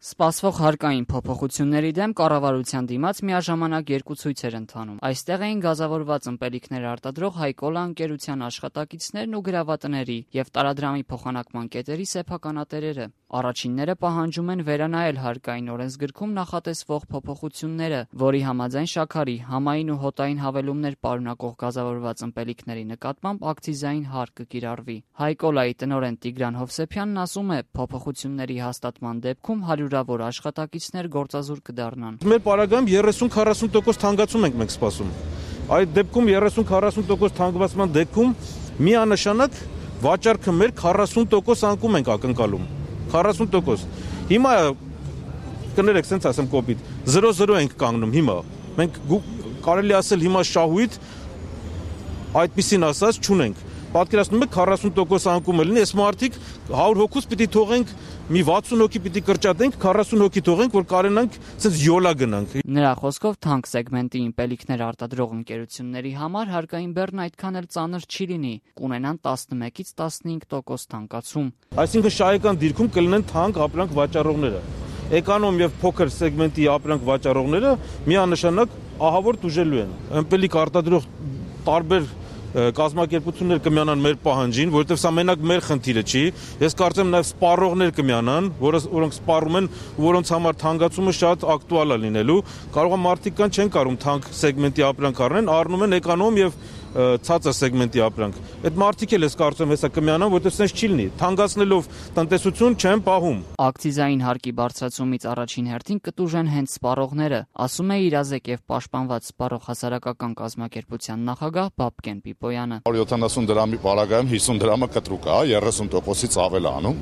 Սպասվող հարկային փոփոխությունների դեմ կառավարության դիմաց միաժամանակ երկու ցույց էր ընթանում։ Այստեղ էին գազավորված ըմպելիքներ արտադրող Հայկոլա ընկերության աշխատակիցներն ու գրավատների եւ տարադրամի փոխանակման կետերի սեփականատերերը։ Առաջինները պահանջում են վերանայել հարկային օրենսգրքում նախատեսվող փոփոխությունները, որի համաձայն շաքարի, համային ու հոտային հավելումներ պարունակող գազավորված ըմպելիքների նկատմամբ ակցիզային հարկ կկիրառվի։ Հայկոլայի տնօրեն Տիգրան Հովսեփյանն ասում է, փոփոխությունների հաստատման դեպքում հարյուրավոր աշխատակիցներ գործազուրկ կդառնան։ Մեր պարագայում 30-40% թանկացում ենք մենք սպասում։ Այդ դեպքում 30-40% թանկացման դեպքում միանշանակ վաճառքը մեր 40% անկում ենք ակնկալում։ 40%։ Հիմա կներեք, սենց ասեմ կոպիտ, 0-0 ենք կանգնում հիմա։ Մենք կարելի ասել հիմա շահույթ այդպիսին ասած չունենք։ Պատկերացնում եք 40% անկում է լինի, այս մարդիկ 100 հոգուց պիտի թողենք, մի 60 հոգի պիտի կրճատենք, 40 հոգի թողենք, որ կարենանք սենց յոլա գնանք։ Նրա խոսքով թանկ սեգմենտի իմպելիքներ արտադրող ընկերությունների համար հարկային բեռն այդքան էլ ծանր չի լինի, կունենան 11-ից 15% թանկացում։ Այսինքն շահեկան դիրքում կլինեն թանկ ապրանք վաճառողները։ Էկոնոմ եւ փոքր սեգմենտի ապրանք վաճառողները միանշանակ ահավոր տուժելու են։ Ըմպելիք արտադրող տարբեր կազմակերպություններ կմիանան մեր պահանջին, որովհետև սա մենակ մեր խնդիրը չի։ Ես կարծեմ նաև սպառողներ կմիանան, որոնք սպառում են, որոնց համար թանկացումը շատ ակտուալ է լինելու։ Կարող է մարդիկ կան չեն կարող թանկ սեգմենտի ապրանք առնեն, առնում են էկոնոմ եւ ցածր սեգմենտի ապրանք։ Այդ մարդիկ էլ ես կարծում հեսա կմիանան, որովհետև սենց չի լինի։ Թանկացնելով տնտեսություն չեն պահում։ Ակցիզային հարկի բարձրացումից առաջին հերթին կտուժեն հենց սպառողները, ասում է իրազեկ եւ պաշտպանված սպառող հասարակական կազմակերպության նախագահ Բաբկեն Պիպոյանը։ 170 դրամի պարագայում 50 դրամը կտրուկ է, 30%-ից ավել է անում,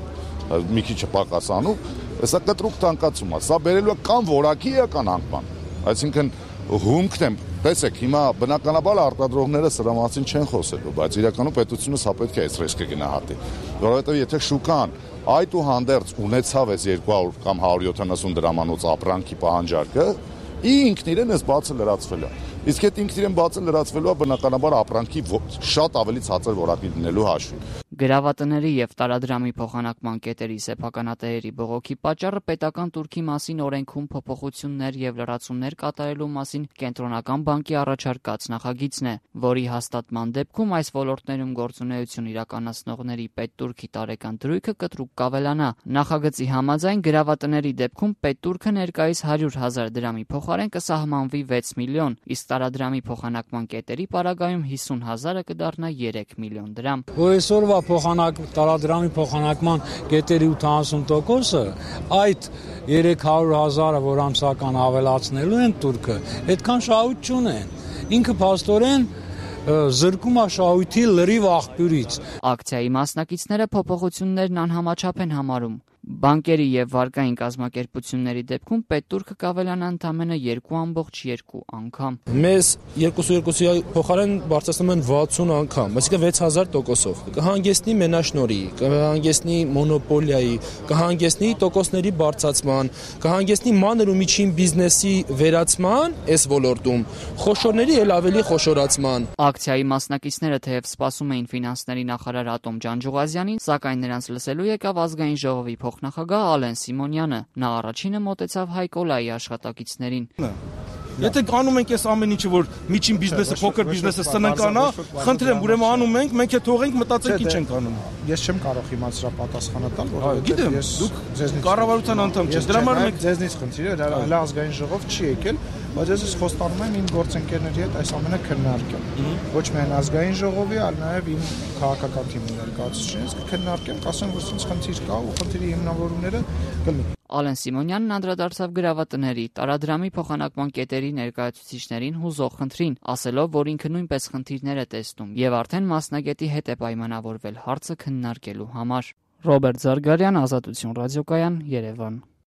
մի քիչ պակաս անում, հեսա կտրուկ թանկացում է։ Սա բերելու է կամ որակի կամ անկման։ Այսինքն հումքն եմ, տեսեք, հիմա բնականաբար արտադրողները սրա մասին չեն խոսելու, բայց իրականում պետությունը սա պետք է այս ռիսկը գնահատի, որովհետև եթե շուկան այդուհանդերձ ունեցավ այս 200 կամ 170 դրամանոց ապրանքի պահանջարկը, ինքն իրեն էս բացը լրացվել է։ Իսկ այդ ինքն իրեն բացը լրացվելու է բնականաբար ապրանքի շատ ավելի ցածր որակի լինելու հաշվին։ Գրավատների եւ տարադրամի փոխանակման կետերի սեփականատերերի բողոքի պատճառը պետական турքի մասին օրենքում փոփոխություններ եւ լրացումներ կատարելու մասին կենտրոնական բանկի առաջարկած նախագիծն է, որի հաստատման դեպքում այս ոլորտներում գործունեություն իրականացնողների պետտուրքի տարեկան դրույթը կտրուկ կավելանա։ Նախագծի համաձայն գրավատների դեպքում պետտուրքը ներկայիս 100,000 դրամի փոխարեն կսահմանվի 6 միլիոն, իսկ տարադրամի փոխանակման կետերի պարագայում 50,000-ը կդառնա 3 միլիոն դրամ։ Այսօրվա տարադրամի փոխանակման կետերի 80%-ը այդ 300,000-ը, որ ամսական ավելացնելու են турքը, այդքան շահույթ չունեն։ Ինքը փաստորեն զրկում է շահույթի լրիվ աղբյուրից։ Ակցիայի մասնակիցները փոփոխություններն անհամաչափ են համարում։ Բանկերի եւ վարկային կազմակերպությունների դեպքում պետտուրքը կավելանա ընդամենը 2.2 անգամ։ Մեզ 2.2-ի փոխարեն բարձրացնում են 60 անգամ, այսինքն 6000%-ով։ Կհանգեցնի մենաշնորհի, կհանգեցնի մոնոպոլիայի, կհանգեցնի տոկոսների բարձրացման, կհանգեցնի մանր ու միջին բիզնեսի վերացման այս ոլորտում, խոշորների էլ ավելի խոշորացման։ Ակցիայի մասնակիցները թեև սպասում էին ֆինանսների նախարար Ատոմ Ջանջուղազյանին, սակայն նրանց լսելու եկավ ազգային ժողովի փոխնախագահ Ալեն Սիմոնյանը։ Նա առաջինը մոտեցավ Հայկոլայի աշխատակիցներին։ Եթե անում ենք այս ամեն ինչը, որ միջին բիզնեսը, փոքր բիզնեսը սննկանա, խնդրեմ, ուրեմն անում ենք, մենք էլ թողենք մտածենք ինչ ենք անում։ Ես չեմ կարող հիմա սրա պատասխանը տալ, գիտեմ, դուք կառավարության անդամ չեք։ Դրա համար մենք ձեզնից խնդիրը հələ ազգային ժողով չի եկել, բայց ես խոստանում եմ իմ գործընկերների հետ այս ամենը քննարկել։ Ոչ միայն ազգային ժողովի, այլ նաև իմ քաղաքական թիմի ներկայացուցիչներից կքննարկեմ, կասեմ, որ ինչ խնդիր կա ու խնդրի հիմնավորումները կլինի։ Ալեն Սիմոնյանն անդրադարձավ գրավատների, տարադրամի փոխանակման կետերի ներկայացուցիչներին հուզող խնդրին, ասելով, որ ինքը նույնպես խնդիրներ է տեսնում եւ արդեն մասնագետի հետ է պայմանավորվել հարցը քննարկելու համար։ Ռոբերտ Զարգարյան, Ազատություն ռադիոկայան, Երևան։